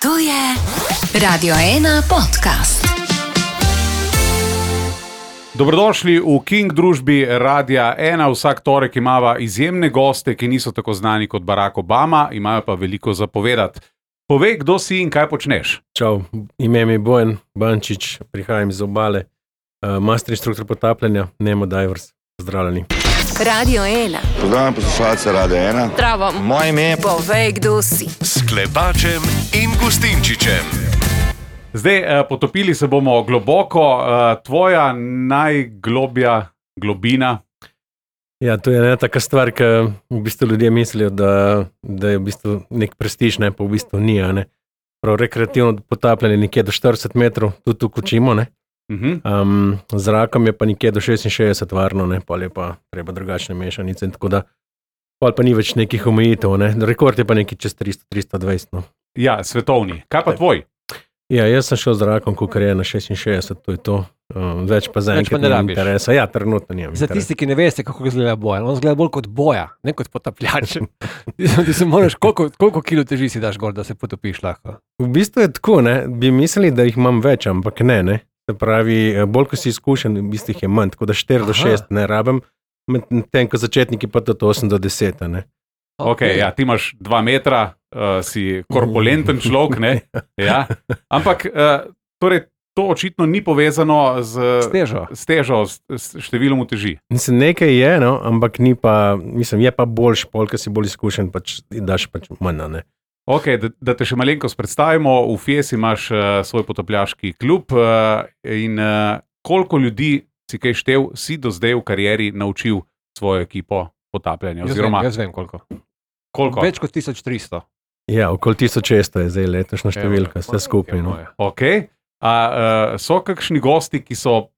To je Radio 1 podcast. Dobrodošli v King družbi Radia 1. Vsak torek imava izjemne goste, ki niso tako znani kot Barack Obama, imajo pa veliko za povedati. Povej, kdo si in kaj počneš? Čau, ime mi je Bojan Bančič, prihajam iz Obale, master instruktor potapljanja, Nemo Divers. Pozdravljeni. Radio 1. Pozdravljam poslušalce Radia 1. Zdravo. Moje ime je... Povej, kdo si. S Klepačem in Gustinčičem. Zdaj, potopili se bomo globoko. Tvoja najglobja globina? Ja, to je ena taka stvar, ki v bistvu ljudje mislijo, da je v bistvu nek prestiž, ne, pa v bistvu ni, ne. Prav rekreativno potapljanje nekje do 40 metrov, tudi tu kočimo, ne. Zrakom je pa nekje do 66 varno, ne, pol je pa treba drugačne mešanice, in tako da pol pa ni več nekih omejitev, ne. Rekord je pa nekaj čez 300-320, no. Ja, svetovni. Kaj pa tvoj? Ja, jaz sem šel z zrakom, kakor je na 66, to je to. Več pa zaenkrat ni interesa. Ja, trenutno nimam interesa. Za tisti, ki ne veste, kako izgleda Bojan, on izgleda bolj kot boja, ne kot potapljač. Ti se moraš, koliko kilo teži si daš gor, da se potopiš lahko? V bistvu je tako, ne, bi mislili, da jih imam več, ampak ne. Se pravi, bolj ko si izkušen, v bistvu jih je manj, tako da 4 do 6 ne rabim, med tem, ko začetniki pa tudi 8 do 10, ne. Ok, ja, ti imaš 2 metra, si korpulenten človek, ne? Ja. Ampak, torej, to očitno ni povezano s težo, s številom uteži. Mislim, nekaj je, no, ampak ni pa, mislim, je pa boljš, pol, ko si bolj izkušen, pač daš pač manj, ne. Ok, da te še malenkost predstavimo, v Fies imaš svoj potapljaški klub in koliko ljudi si kaj štev, si do zdaj v karieri naučil svojo ekipo potapljanja? Jaz vem koliko. Koliko? Več kot 1300. Ja, okoli 1600 je zdaj letošnja številka, vse skupaj, no. Ok, so kakšni gosti, ki so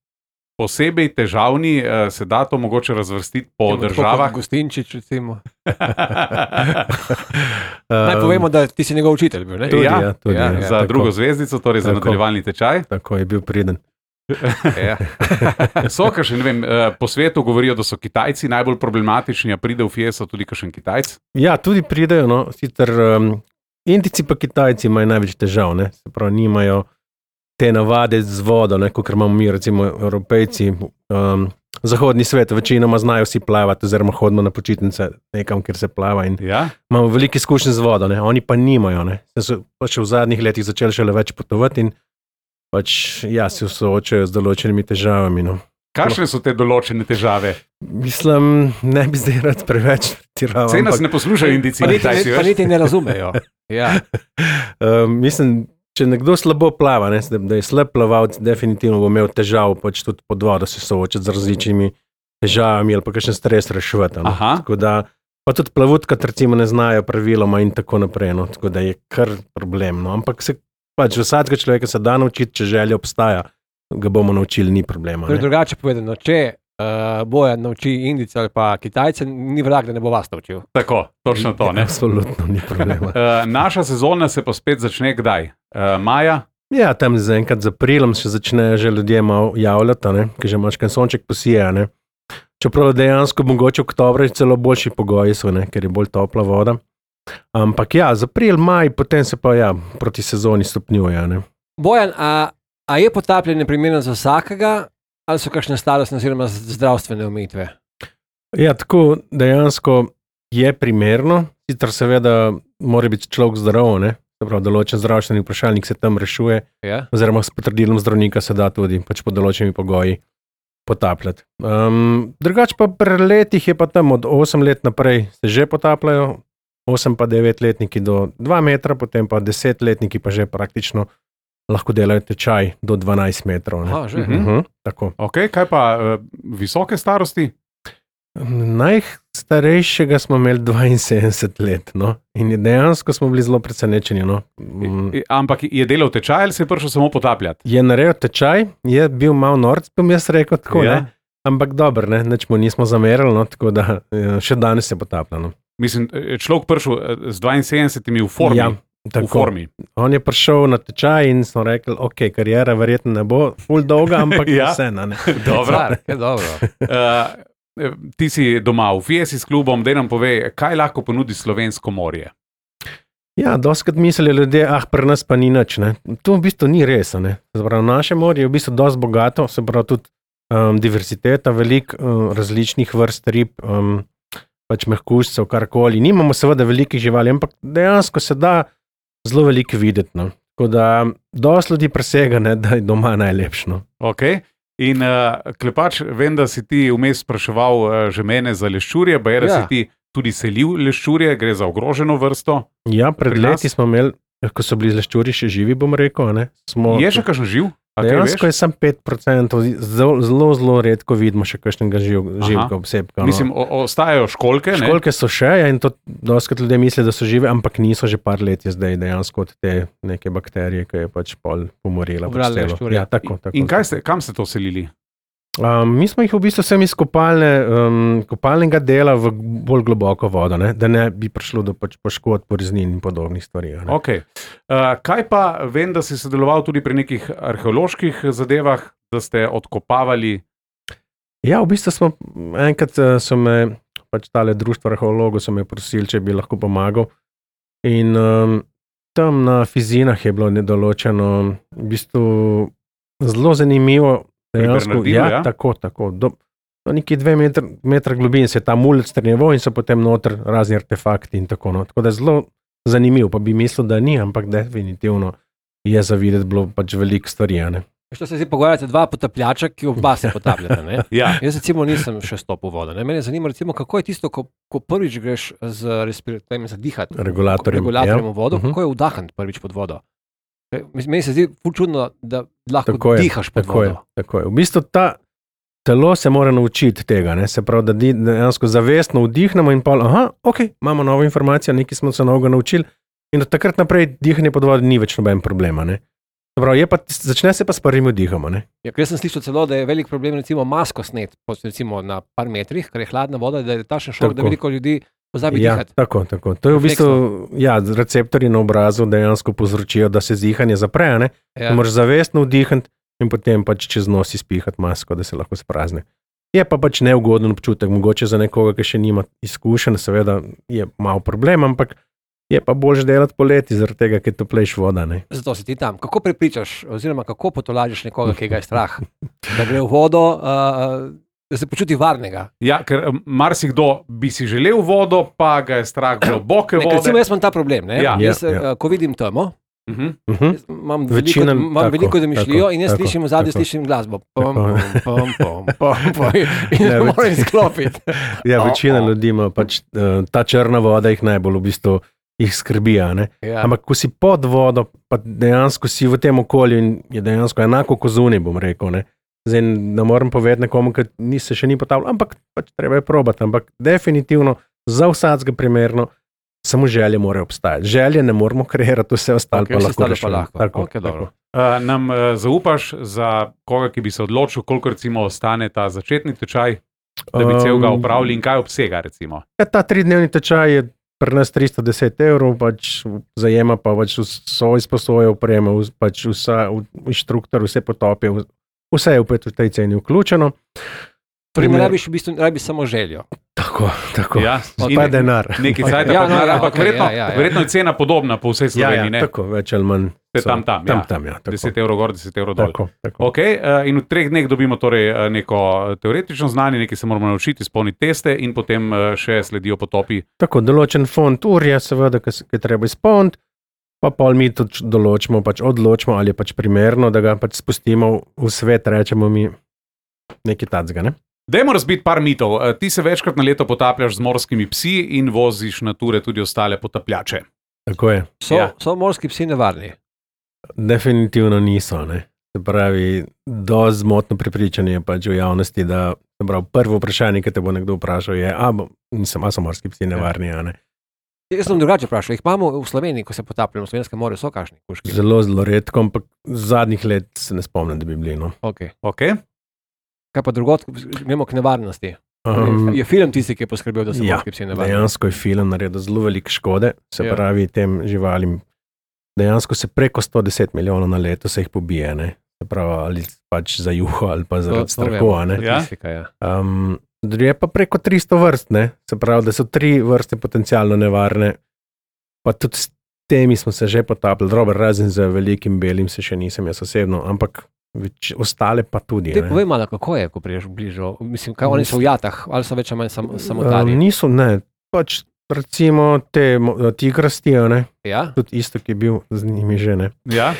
posebej težavni, se da to mogoče razvrstiti po državah? Gustinčič, recimo. Naj povemo, da ti si njegov učitelj bil, ne? Tudi, ja, za tako. drugo zvezdico, torej za nadaljevalni tečaj. Tako je bil priden. Ja. So kakšen, ne vem, po svetu govorijo, da so Kitajci najbolj problematični, a pride v Fieso tudi kakšen Kitajc? Ja, tudi pridejo, no, sicer Indijci pa Kitajci imajo največ težav, ne, se pravi, nimajo te navade z vodo, ne, kot imamo mi, recimo Evropejci, zahodni svet, večinoma znajo vsi plavati, oziroma hodimo na počitnice nekam, kjer se plava in imamo veliko izkušenj z vodo, ne, oni pa nimajo, ne, so pač v zadnjih letih začeli šele več potovati in pač, ja, se soočajo z določenimi težavami, no. Kakšne so te določene težave? Mislim, ne bi zdaj rad preveč tiraval. Sej nas ne poslušajo Indijci in Kitajci, Pa niti ne razumejo. Ja. Mislim, če nekdo slabo plava, ne, da je slab plavalc, definitivno bo imel težav pač tudi pod vodo se soočati z različnimi težavami ali pa kakšen stres reševati. No. Tako da, pa tudi plavutka recimo ne znajo praviloma in tako naprej, no. Tako da je kar problem, no. Ampak se pač vsakega človeka se da naučiti, če želja obstaja, ga bomo naučili, ni problema. To je drugače povedano, če Bojan nauči Indijce ali pa Kitajce, ni vrag, da ne bo vas naučil. Tako, točno to, ne? Absolutno ni problema. Naša sezona se pa spet začne kdaj? Maja? Ja, tam zaenkrat z aprilom še začnejo že ljudje malo javljati, ne, ker že imaš kaj sonček posije, ne. Čeprav dejansko mogoče v oktobru celo boljši pogoji so, ne, ker je bolj topla voda. Ampak ja, z april, maj, potem se pa ja, proti sezoni stopnjuje, ne. Bojan, a je potapljanje primerno za vsakega, ali so kakšne starostne oziroma zdravstvene omejitve? Ja, tako dejansko je primerno, sicer seveda mora biti človek zdrav, ne, se pravi, določen zdravstveni vprašalnik se tam rešuje, oziroma s potrdilom zdravnika se da tudi pač pod določenimi pogoji potapljati. Drugače pa pri letih je pa tam od 8 let naprej se že potapljajo, 8 pa 9-letniki do 2 metra, potem pa 10-letniki pa že praktično lahko delajo tečaj do 12 metrov. Ne? Aha, že. Tako. Ok, kaj pa visoke starosti? Najstarejšega smo imeli 72 let, no, in dejansko smo bili zelo presenečeni, no. Ampak je delal tečaj ali se je prišel samo potapljati? Je naredil tečaj, je bil malo norc, bom jaz rekel tako, ne, ampak dobro, ne, nič mu nismo zamerili, no, tako da še danes se potaplja, no. Mislim, človek prišel z 72 v formi. Ja, tako. V formi. On je prišel na tečaj in smo rekli, ok, karijera verjetno ne bo ful dolga, ampak vseeno, ne. Dobro. Dobro. Ti si doma v Fiesi s klubom, daj nam povej, kaj lahko ponudi slovensko morje? Ja, doskrat mislijo ljudje, pri nas pa ni nič. Ne. To v bistvu ni res. Ne. Zaprav, naše morje je v bistvu dosti bogato, se pravi tudi diverziteta, veliko različnih vrst rib, pač mehkužcev, karkoli. Nimamo seveda velikih živali, ampak dejansko se da zelo veliko videti. No. Tako da dosti ljudi presega, ne, da je doma najlepšno. Okay. In Klepač, vem, da si ti vmes spraševal že mene za leščurje, pa je, da si ti tudi selil leščurje, gre za ogroženo vrsto. Ja, pred leti smo imeli, ko so bili leščuri še živi, bom rekel. Ne, je še kakšen živ? Dejansko je samo 5%, zelo redko vidimo še kakšnega živega obsebka. No. Mislim, ostajajo školjke, ne? Školjke so še, in to doskrat ljudje mislijo, da so žive, ampak niso, že par let je zdaj dejansko od te neke bakterije, ki je pač pol pomorila. Ja, tako. In kam ste to selili? Mi smo jih v bistvu vsem iz kopalnega dela v bolj globoko vodo, ne? Da ne bi prišlo do pač poškodb, poreznin in podobnih stvari. Okay. Kaj pa, vem, da si sodeloval tudi pri nekih arheoloških zadevah, da ste odkopavali? Ja, v bistvu smo, enkrat so me, pač tale društvo arheologov so me prosili, če bi lahko pomagal. In tam na Fizinah je bilo nedoločeno, v bistvu zelo zanimivo. Ja, tako. Do nekaj 2 metra globin se je ta mulec strnjeval in so potem noter razni artefakti in tako. No. Tako da je zelo zanimiv, pa bi mislil, da ni, ampak definitivno je za videti bilo pač veliko stvari. Što se zdaj pogovarjate, 2 potapljača, ki oba se potapljate, ne? Ja. Jaz recimo nisem še stopil v vodo, ne? Mene zanima recimo, kako je tisto, ko prvič greš z respiratorjem zadihati, regulatorjem v vodo, kako je vdahant prvič pod vodo? Meni se zdi ful čudno, da lahko dihaš pod vodo. Tako je. V bistvu telo se mora naučiti tega, ne? Se pravi, da dejansko zavestno vdihnemo in imamo novo informacijo, nekaj smo se novega naučili in od takrat naprej dihanje pod vodo ni več noben problema. Ne? Pravi, začne se pa s prvim vdihom. Ja, ker sem slišal celo, da je velik problem recimo masko snet, recimo na par metrih, ker je hladna voda, da je tašen šok, da veliko ljudi pozabi dihati. Tako. To je v bistvu, receptorji na obrazu dejansko povzročijo, da se dihanje zapre, ne? Ja. Moraš zavestno vdihati in potem pač čez nos izpihati masko, da se lahko sprazni. Je pa pač neugoden občutek, mogoče za nekoga, ki še nima izkušenj, seveda je malo problem, ampak je pa boljše delati poleti, zaradi tega, ker toplejš voda. Ne? Zato si ti tam. Kako prepričaš, oziroma kako potolažiš nekoga, ki ga je strah, da gre v vodo, da se počuti varnega? Ja, ker marsikdo bi si želel vodo, pa ga je strah globoke vode. Recimo, jaz imam ta problem. Ko vidim temo, imam veliko domišljijo in jaz slišim v zadnji, slišim glasbo. In ne moram izklopiti. Ja, večina ljudi ima pač ta črna voda jih najbolj v bistvu jih skrbi. Ampak ko si pod vodo, pa dejansko si v tem okolju in je dejansko enako kot zunaj, bom rekel. Zdaj ne morem povedati nekomu, ki se še ni potapljal, ampak pač treba je probati. Ampak definitivno za vsakega primerno samo želje morajo obstajati. Želje ne moramo kreirati, vse ostalo pa lahko. Tako. Nam zaupaš za koga, ki bi se odločil, koliko recimo ostane ta začetni tečaj, da bi celega opravili in kaj obsega recimo? Ta 3-dnevni tečaj je pri nas 310 €, pač zajema pa pač vso izposojo opreme, pač inštruktor, vse potopje, vse je v tej ceni vključeno. Rabiš samo željo. Tako. Ja, pa denar. Nekaj cajta pa denar, ampak verjetno je cena podobna po vsej Sloveniji. Ja, tako, več ali manj. Tam, 10 € gor, 10 € dol. Tako. Okay, in v 3 dneh dobimo torej neko teoretično znanje, nekaj se moramo naučiti, izpolniti teste in potem še sledijo potopi. Tako, določen fond ur je seveda, ki treba izpolniti, pa pol mi tudi odločimo, ali je pač primerno, da ga pač spustimo v svet, rečemo mi nekaj tacga, ne? Dajmo razbiti par mitov. Ti se večkrat na leto potapljaš z morskimi psi in voziš na ture tudi ostale potapljače. Tako je. So morski psi nevarni? Definitivno niso, ne. Se pravi, dosti zmotno prepričanje pač v javnosti, da prvo vprašanje, ki te bo nekdo vprašal, je, so morski psi nevarni, ne. Jaz sem drugače vprašal, jih imamo v Sloveniji, ko se potapljamo v Slovenskem morju, so kakšni kužki? Zelo redko, ampak zadnjih let se ne spomnim, da bi bili, no. Ok. Kaj pa drugot, gremo k nevarnosti? Je film tisti, ki je poskrbel, da so morski psi nevarni? Dejansko je film naredil zelo veliko škode, se pravi tem živalim. Dejansko se preko 110 milijonov na leto se jih pobije, ne? Se pravi, ali pač za juho, ali pa zaradi strahu, ne? Je pa preko 300 vrst, ne? Se pravi, da so 3 vrste potencialno nevarne, pa tudi temi smo se že potapljali, dobro, razen za velikim belim se še nisem jaz osebno, ampak ostale pa tudi. Povej malo, kako je, ko priješ bližo, mislim, kaj oni so v jatah, ali so več ali manj samotarji? Niso, ne, pač recimo te tigrasti, ne, tudi isto, ki je bil z njimi že, ne. Ja.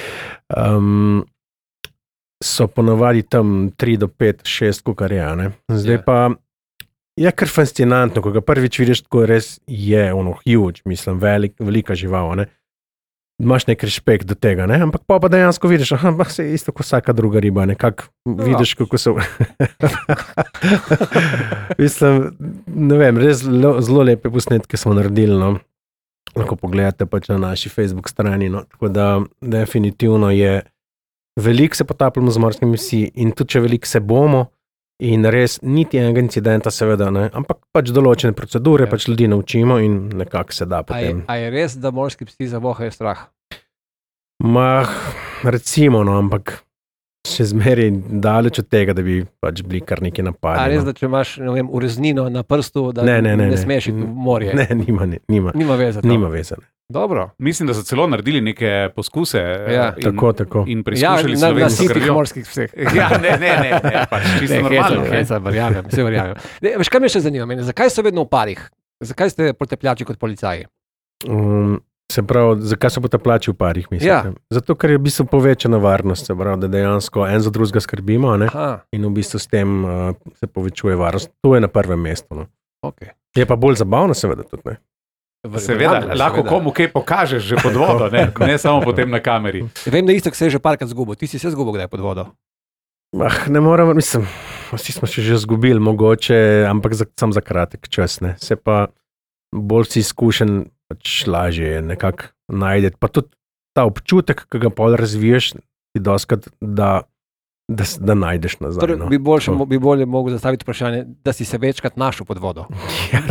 So ponovadi tam 3 do 5, 6 kukarja, ne. Zdaj pa je kar fascinantno, ko ga prvič vidiš, tako res je huge, mislim, velika žival, ne. Imaš nek respekt do tega, ne, ampak pa dejansko vidiš, se je isto kot vsaka druga riba, nekako vidiš, kako so. Mislim, ne vem, res zelo lepe posnetke smo naredili, no. Lahko pogledate pač na naši Facebook strani, no, tako da definitivno je veliko se potapljamo z morskimi psi in tudi če veliko se bomo, in res niti enega incidenta seveda, ne, ampak pač določene procedure, pač ljudi naučimo in nekako se da potem. A je res, da morski psi zavohajo strah? Recimo, no, ampak še zmeraj daleč od tega, da bi pač bili kar neki napadi. A res, da če imaš, ne vem, ureznino na prstu, da ne smeš iti v morje? Ne, nima veze. Nima veze, ne. Dobro. Mislim, da so celo naredili neke poskuse tako. In preizkušali slovensko krvjo. Morskih vseh. Ne, pač čisto normalno. Verjamem. Veš, kaj me še zanima? Zakaj so vedno v parih? Zakaj ste potepljači kot policaji? Se pravi, zakaj so potepljači v parih, mislim? Ja. Zato, ker je v bistvu povečana varnost, se pravi, da dejansko en za drugega skrbimo, ne? In v bistvu s tem se povečuje varnost. To je na prvem mestu. No. Okay. Je pa bolj zabavno, seveda tudi, ne? Seveda, lahko komu kaj pokažeš že pod vodo, ne samo potem na kameri. Vem, da isto, se je že parkrat zgubil. Ti si se zgubil kdaj pod vodo? Ne moramo, mislim, vsi smo še že zgubili, mogoče, ampak sam za kratek čas, ne. Se pa bolj si izkušen, pač lažje je nekako najdeti. Pa tudi ta občutek, ki ga pol razviješ, ti doskrat, da najdeš nazaj. Torej, bi bolje mogel zastaviti vprašanje, da si se večkrat našel pod vodo.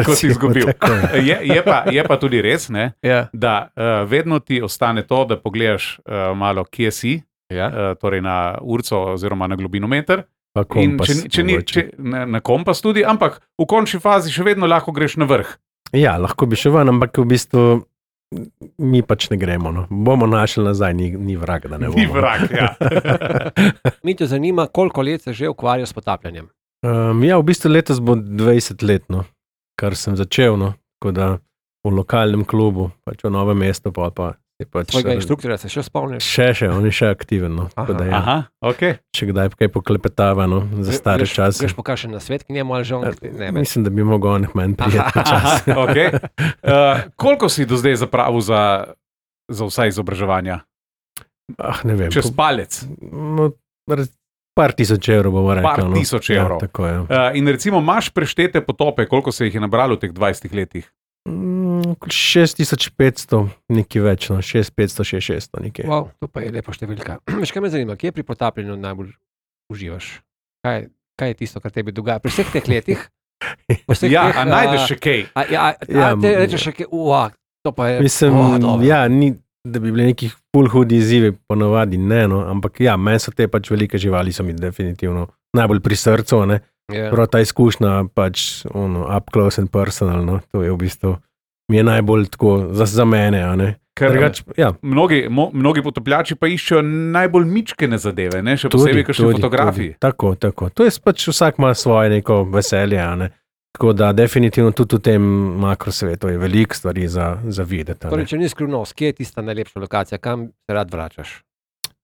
Ko si izgubil. Je pa tudi res, ne, da vedno ti ostane to, da pogledaš malo, kje si, torej na urco oziroma na globinometer. Pa kompas. Na kompas tudi, ampak v končni fazi še vedno lahko greš na vrh. Ja, lahko bi še ven, ampak v bistvu mi pač ne gremo, no. Bomo našli nazaj, ni vrag, da ne bomo. Ni vrag, ja. Mi te zanima, koliko let se že ukvarja s potapljanjem? Ja, v bistvu letos bo 20 let, no, kar sem začel, no, tako da v lokalnem klubu, pač v Novem mestu, pa je pač... Tvojega inštruktorja se še spomniš? Še, on je še aktiven, no, tako da ja. Aha, okej. Če kdaj kaj poklepetava, no, za stare čase. Greš pokašen na svet, ki njemu ali žal? Mislim, da bi mogel on manj prijeti čas. Okej. Koliko si do zdaj zapravil za vsa izobraževanja? Ne vem. Čez palec? Par tisoč evrov, bomo rekel. Par tisoč evrov. Tako je. In recimo, imaš preštete potope, koliko se jih je nabralo v teh 20 letih? 6500, nekaj več, no, 6500, 6600, nekaj. Wow, to pa je lepa številka. Veš, kaj me zanima, kje pri potapljanju najbolj uživaš? Kaj je tisto, kar tebi dogaja? Pri vseh teh letih? A najdeš še kaj? Te rečeš še kaj, to pa je... Mislim, ni, da bi bili nekih ful hudi izzivi, ponovadi ne, no, ampak ja, meni so te pač velike živali, so mi definitivno najbolj pri srcu, ne. Prav ta izkušnja, pač up close and personal, no, to je v bistvu, mi je najbolj tako za mene, a ne. Ker mnogi potopljači pa iščejo najbolj mičkene zadeve, ne, še posebej kakšne fotografiji. Tako, to je pač vsak ima svoje neko veselje, a ne. Tako da definitivno tudi v tem makrosvetu je veliko stvari za videti. Torej, če ni skrivnost, kje je tista najlepša lokacija, kam se rad vračaš?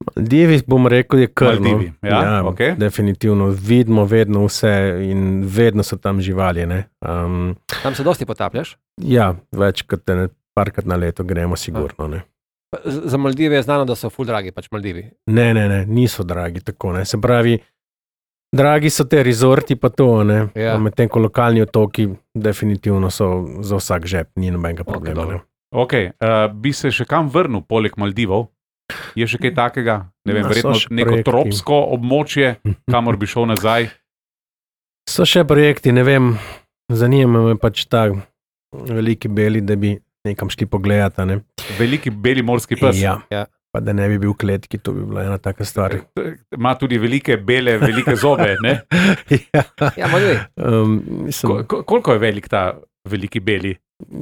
Maldivi, bom rekel, je kar. Maldivi, ja, okay. Definitivno. Vidimo vedno vse in vedno so tam živali, ne. Tam se dosti potapljaš? Ja, parkrat na leto gremo sigurno, ne. Za Maldive je znano, da so ful dragi, pač Maldivi. Ne, niso dragi, tako, ne. Se pravi, dragi so te rezorti pa to, ne. Medtem ko lokalni otoki definitivno so za vsak žep, ni nobenega problema, ne. Ok, bi se še kam vrnil poleg Maldivov? Je še kaj takega? Ne vem, verjetno neko tropsko območje, kamor bi šel nazaj? So še projekti, ne vem, zanima me pač ta veliki beli, da bi nekam šli pogledati, ne. Veliki beli morski pes? Ja. Pa da ne bi bil v kletki, to bi bila ena taka stvar. Ima tudi velike zobe, ne? Ja, malo je. Koliko je velik ta veliki beli?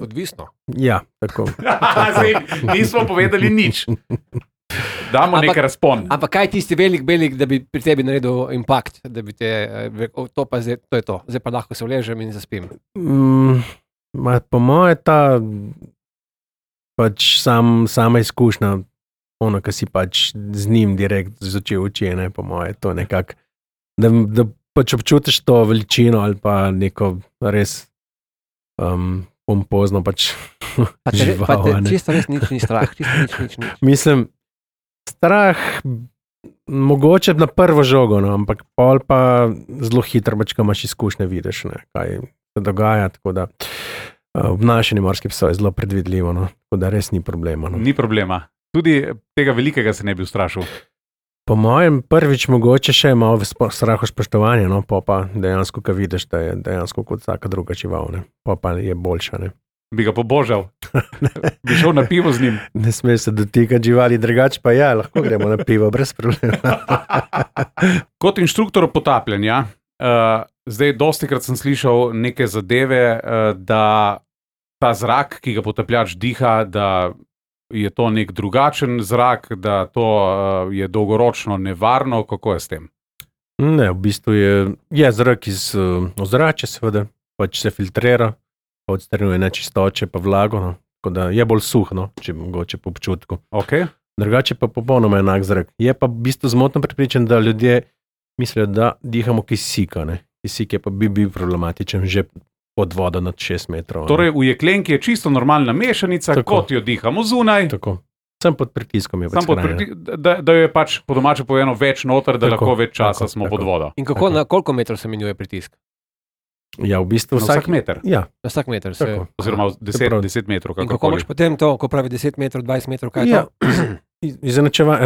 Odvisno. Ja, tako. Zdaj, nismo povedali nič. Damo nekaj razpon. Ampak kaj tisti velik, da bi pri tebi naredil impakt, da bi te, to je to, zdaj pa lahko se vležem in zaspim. Po moje ta pač sama izkušnja, ono, ki si pač z njim direkt z oči v oči, ne, po moje, to nekako, da pač občutiš to veličino ali pa neko res pompozno pač žival. Pa te čisto res nič ni strah, nič. Mislim, strah mogoče na prvo žogo, no, ampak pol pa zelo hitro, pač, ko imaš izkušnje, vidiš, ne, kaj se dogaja, tako da obnašanje morskih psov je zelo predvidljivo, no, tako da res ni problema. No. Ni problema. Tudi tega velikega se ne bi ustrašil. Po mojem prvič mogoče še malo strahu spoštovanja, no, pa dejansko, ko vidiš, da je dejansko kot vsaka druga žival, ne, pa je boljša, ne. Bi ga pobožal. Bi šel na pivo z njim. Ne sme se dotikati živali, drugače pa ja, lahko gremo na pivo, brez problema. Kot inštruktor potapljanja, zdaj dostikrat sem slišal neke zadeve, da ta zrak, ki ga potapljač diha, da je to nek drugačen zrak, da to je dolgoročno nevarno, kako je s tem? Ne, v bistvu je zrak iz ozračja, seveda, pač se filtrira, odstranjuje nečistoče pa vlago, no, tako da je bolj suh, no, če mogoče po občutku. Okay. Drugače pa popolnoma enak zrak. Je pa v bistvu zmotno prepričan, da ljudje mislijo, da dihamo kisika, ne. Kisik je pa bi bil problematičen že pod vodo nad 6 metrov. Torej, v jeklenki je čisto normalna mešanica, tako, kot jo dihamo zunaj. Tako. Sem pod pritiskom je pač da jo je pač po domače povedano več noter, da tako, lahko več časa smo pod vodo. In kako, na koliko metrov se menjuje pritisk? Ja, v bistvu vsak meter. Ja. Na vsak meter se... Oziroma 10 metrov. In kako imaš potem to, ko pravi 10 metrov, 20 metrov, kaj je to?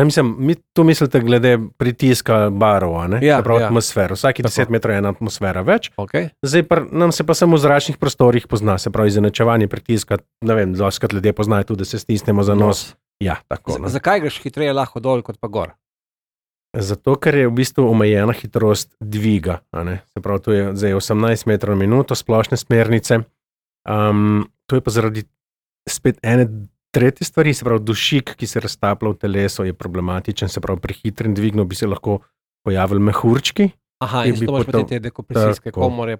Mislim, tu mislite glede pritiska barov, ne? Ja, atmosfero. Vsaki 10 metrov je ena atmosfera več. Okay. Zdaj nam se pa samo v zračnih prostorih pozna, se pravi izenačevanje pritiska, ne vem, doskrat ljudje poznajo tudi, da se stisnemo za nos. Ja, tako. Zakaj greš hitreje lahko dol, kot pa gor? Zato, ker je v bistvu omejena hitrost dviga, ne? Se pravi, to je zdaj 18 metrov na minuto, splošne smernice. To je pa zaradi spet ene tretje stvari, se pravi, dušik, ki se raztaplja v telesu, je problematičen, se pravi, pri hitrem dvignu bi se lahko pojavili mehurčki. Aha, in zato imaš potem te dekompresijske komore.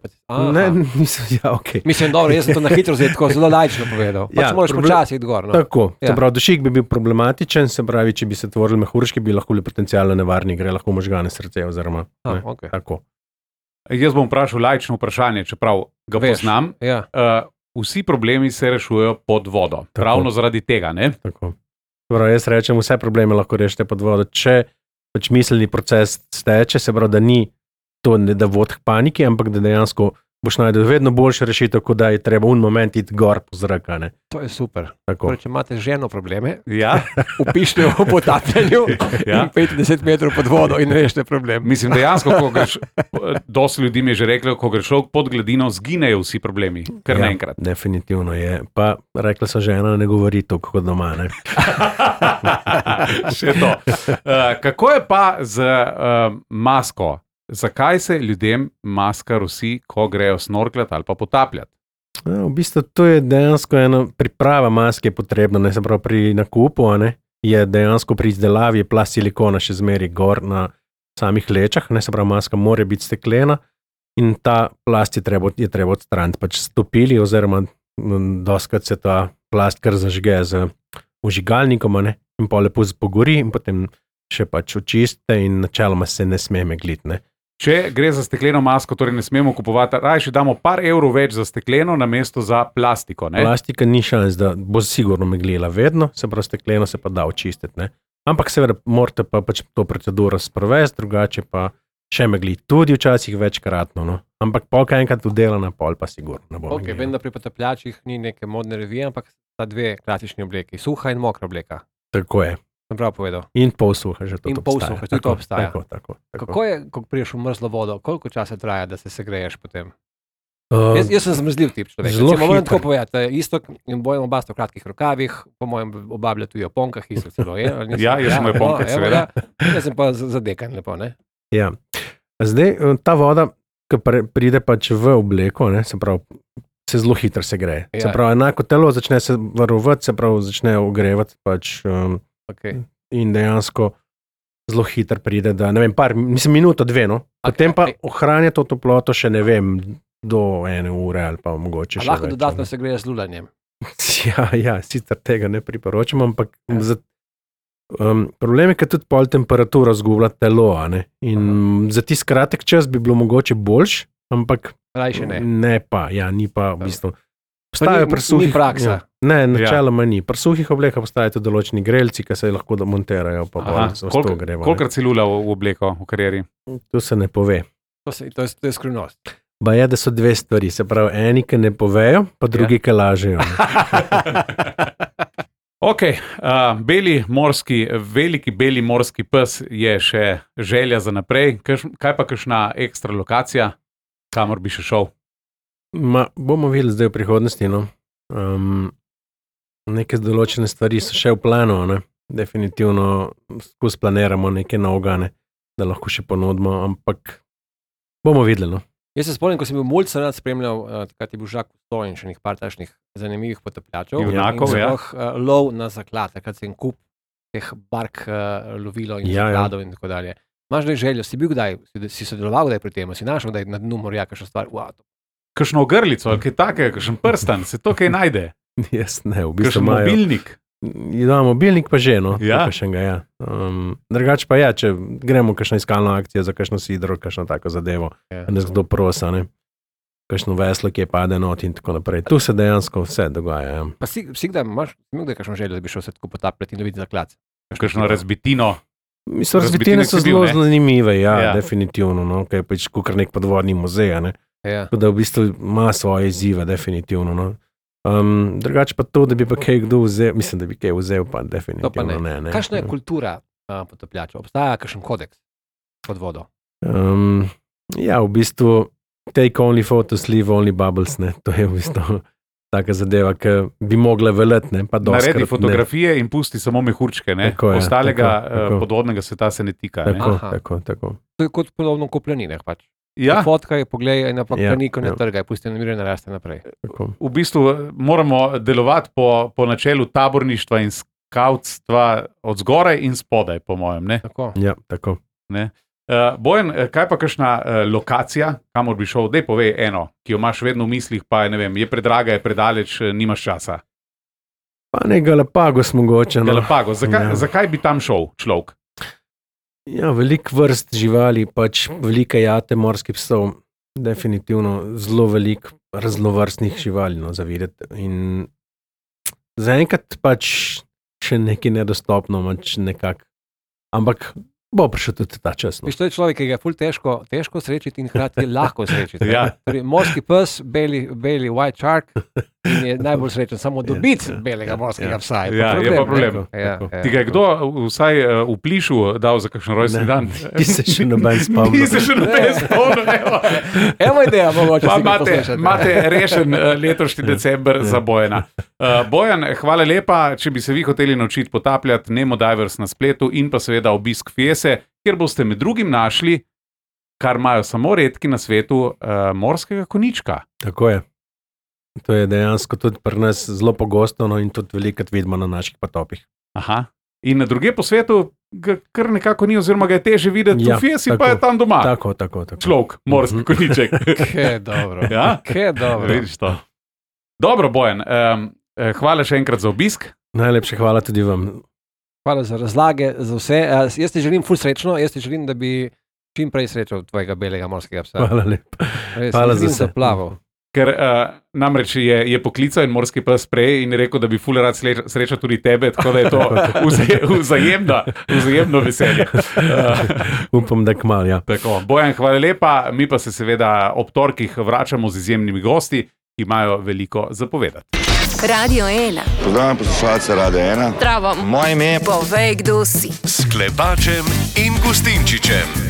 Ne, nisem, ja, okej. Mislim, dobro, jaz sem to na hitro zdaj tako zelo laično povedal. Pač moraš počasi iti gor. No? Tako, se pravi, dušik bi bil problematičen, se pravi, če bi se tvorili mehurčki, bi lahko bili potencialno nevarni, gre lahko možgane srce oziroma, okay. Tako. Jaz bom vprašal laično vprašanje, čeprav ga poznam. Ja. Vsi problemi se rešujejo pod vodo. Tako. Ravno zaradi tega, ne? Tako. Prav, jaz rečem, vse probleme lahko rešite pod vodo. Če pač miselni proces steče, se pravi, da ni to ne da vod k paniki, ampak da dejansko boš najdel vedno boljše rešitev, kot da je treba un moment iti gor po zrak. To je super. Tako. Če imate ženo probleme, ja? Upišite v potapljanju ja? 50 metrov pod vodo in rešite problem. Mislim, dejansko, ko greš, dosti ljudi mi je že reklo, ko greš pod gladino, zginejo vsi problemi, kar naenkrat. Definitivno je. Pa rekla so žena, ne govori toliko kot doma, ne? Še to. Kako je pa z masko? Zakaj se ljudem maska rosi, ko grejo snorkljati ali pa potapljati? V bistvu to je dejansko ena priprava maske potrebna, ne se pravi pri nakupu, ne, je dejansko pri izdelavi plast silikona še zmeri gor na samih lečah, ne se pravi maska mora biti steklena in ta plast je treba odstraniti, pač stopili oziroma doskrat se ta plast kar zažge z vžigalnikom, ne, in pa lepo pogori in potem še pač očiste in načeloma se ne sme megliti, ne. Če gre za stekleno masko, torej ne smemo kupovati, raje damo par evrov več za stekleno namesto za plastiko. Ne? Plastika ni šans, da bo sigurno meglila vedno, se pravi stekleno se pa da očistiti. Ne? Ampak seveda morate pa pač to proceduro sprovesti, drugače pa še megli tudi včasih večkratno. No? Ampak polka enkrat udelana, pol pa sigurno ne bo meglila. Vem, da pri potapljačih ni neke modne revije, ampak sta dve klasični obleki, suha in mokra obleka. Tako je. Sem prav povedal. In polsuha že to obstaja. In polsuha, tudi to obstaja. Tako. Kako je, ko priješ v mrzlo vodo, koliko časa traja, da se segreješ potem? Jaz sem zmrzljiv tip človek. Moram tako povedati, Istok in Bojan oba sta v kratkih rokavih, po mojem obablja tudi o ponkah, Istok celo je. Ja, jaz sem v ponkah, seveda. Jaz sem pa zadekan lepo, ne? Ja. Zdaj, ta voda, ki pride pač v obleko, ne, se pravi, se zelo hitro se gre. Se pravi, enako telo začne se varovati, se pravi, začne ogrevati pač, in dejansko zelo hitro pride, da ne vem, minuto, 2, no. Potem pa ohranja to toploto še ne vem, do 1 ure ali pa mogoče še več. Lahko dodatno se gre z lulanjem. Ja, sicer tega ne priporočam, ampak problem je, ker tudi pol temperatura zgublja telo, ne? In za tisti kratek čas bi bilo mogoče boljš, ampak ne pa, ni pa v bistvu. Ni praksa. Ne, načeloma ni. Pri suhih oblekah postajajo tudi določeni grelci, ki se lahko montirajo. Kolikrat si lulal v obleko v karieri? To se ne pove. To je skrivnost. Ba je, da so 2 stvari. Se pravi, eni, ki ne povejo, pa drugi, ki lažejo. Ok, veliki beli morski pes je še želja za naprej. Kaj pa kakšna ekstra lokacija, kamor bi še šel? Bomo videli zdaj v prihodnosti. No. Neke določene stvari so še v planu. Ne. Definitivno skozi planiramo neke novega, da lahko še ponudimo, ampak bomo videli. No. Jaz se spomnim, ko sem bil mulj rad spremljal, takrat je bil Žak Kusto in še nekaj par takšnih zanimivih potapljačev. Lov na zaklad, takrat sem kup teh bark lovilo in zakladov in tako dalje. Imaš da željo, si bil kdaj, si sodeloval kdaj pri tem, si našel kdaj na dnu morja kakšno stvar? Kakšno ogrlico, kaj takega, kakšen prstan, se to kaj najde? Jaz ne, v bistvu kakšen mobilnik? Ja, mobilnik pa že, no. Ja. Drugače pa če gremo kakšno iskalno akcijo za kakšno sidro, kakšno tako zadevo, nas kdo prosa, ne. Kakšno veslo, ki je pade not in tako naprej. Tu se dejansko vse dogaja. Ja. Pa si kdaj imaš, kakšno željo, da bi šel se tako potapljati in loviti zaklad? Kakšno razbitino? Mislim, razbitine so zelo zanimive, definitivno, no, kaj je pač kukar nek podvodni muzej, ne. Tako da v bistvu ima svoje izzive, definitivno, no. Drugače pa to, da bi pa kaj kdo vzel, mislim, da bi kaj vzel, pa definitivno ne. Kakšna je kultura potapljača? Obstaja kakšen kodeks pod vodo? Ja, v bistvu take only photos, leave only bubbles, ne. To je v bistvu taka zadeva, ki bi mogla veljati, ne. Pa naredi fotografije in pusti samo mehurčke, ne. Ostalega podvodnega sveta se ne tika. Tako. To je kot podobno kopljaninah pač. Ja. Fotkaj, poglej, napak planiko ne trgaj, pusti na miru in naraste naprej. V bistvu moramo delovati po načelu taborništva in skautstva od zgoraj in spodaj, po mojem, ne? Tako. Ja, tako. Ne? Bojan, kaj pa kakšna lokacija, kamor bi šel? Dej povej eno, ki jo imaš vedno v mislih, pa ne vem, je predraga, je predaleč, nimaš časa. Pa ne Galapagos mogoče. No. Galapagos, zakaj bi tam šel človek? Ja, veliko vrst živali, pač velike jate morskih psov, definitivno zelo veliko raznovrstnih živali, no, za videti. In zaenkrat pač še nekaj nedostopno, nekako. Ampak bo prišel tudi ta čas. No. To je človek, ki ga je ful težko srečiti in hkrati lahko srečiti. Ja. Torej, morski pes, beli white shark in je najbolj srečen samo dobiti belega morskega psa. Ja, je pa problem. Ti ga je kdo vsaj v Plišu dal za kakšen rojstni dan? Ti se še noben spomnil. Evo ideja, mogoče si ga poslušati. Imate rešen letošnji december za Bojana. Bojan, hvala lepa, če bi se vi hoteli naučiti potapljati, Nemo Divers na spletu in pa seveda obisk Fiese, kjer boste med drugim našli, kar imajo samo redki na svetu, morskega konička. Tako je. To je dejansko tudi pri nas zelo pogosto, no, in tudi velikrat vidimo na naših potopih. Aha. In na druge po svetu ga kar nekako ni, oziroma ga je teže videti, v Fiesi pa je tam doma. Tako. Človek, morski koniček. Kje dobro. Ja? Kje dobro. Vidiš to. Dobro, Bojan, hvala še enkrat za obisk. Najlepše hvala tudi vam. Hvala za razlage, za vse. Jaz ti želim ful srečno, jaz ti želim, da bi čim prej srečal tvojega belega morskega psa. Hvala lepa. Hvala za vse. Ker namreč je poklical in morski pes prej in je rekel, da bi ful rad srečal tudi tebe, tako da je to vzajemno veselje. Upam, da kmalu, ja. Tako, Bojan, hvala lepa. Mi pa se seveda ob torkih vračamo z izjemnimi gosti, ki imajo veliko zapovedati. Radio 1. Pozdravljam poslušalce Radio 1. Zdravo. Moje ime je Povej, kdo si. S Klepačem in Gustinčičem.